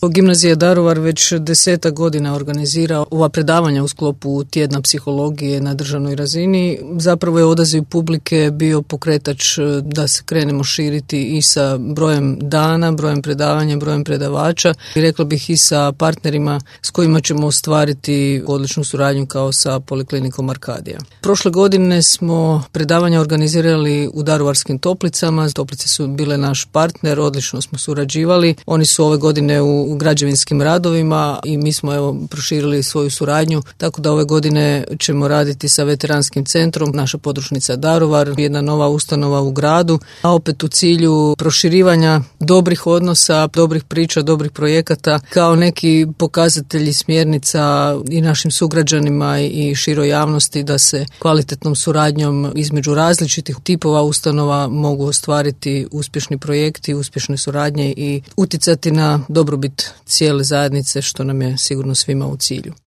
Gimnazija Daruvar već 10 godina organizira ova predavanja u sklopu tjedna psihologije na državnoj razini. Zapravo je odaziv publike bio pokretač da se krenemo širiti i sa brojem dana, brojem predavanja, brojem predavača i rekla bih i sa partnerima s kojima ćemo ostvariti odličnu suradnju kao sa Poliklinikom Arkadija. Prošle godine smo predavanja organizirali u Daruvarskim Toplicama. Toplice su bile naš partner, odlično smo surađivali. Oni su ove godine u građevinskim radovima i mi smo proširili svoju suradnju, tako da ove godine ćemo raditi sa veteranskim centrom, naša podružnica Daruvar, jedna nova ustanova u gradu, a opet u cilju proširivanja dobrih odnosa, dobrih priča, dobrih projekata, kao neki pokazatelji smjernica i našim sugrađanima i široj javnosti da se kvalitetnom suradnjom između različitih tipova ustanova mogu ostvariti uspješni projekti, uspješne suradnje i utjecati na dobrobit cijele zajednice, što nam je sigurno svima u cilju.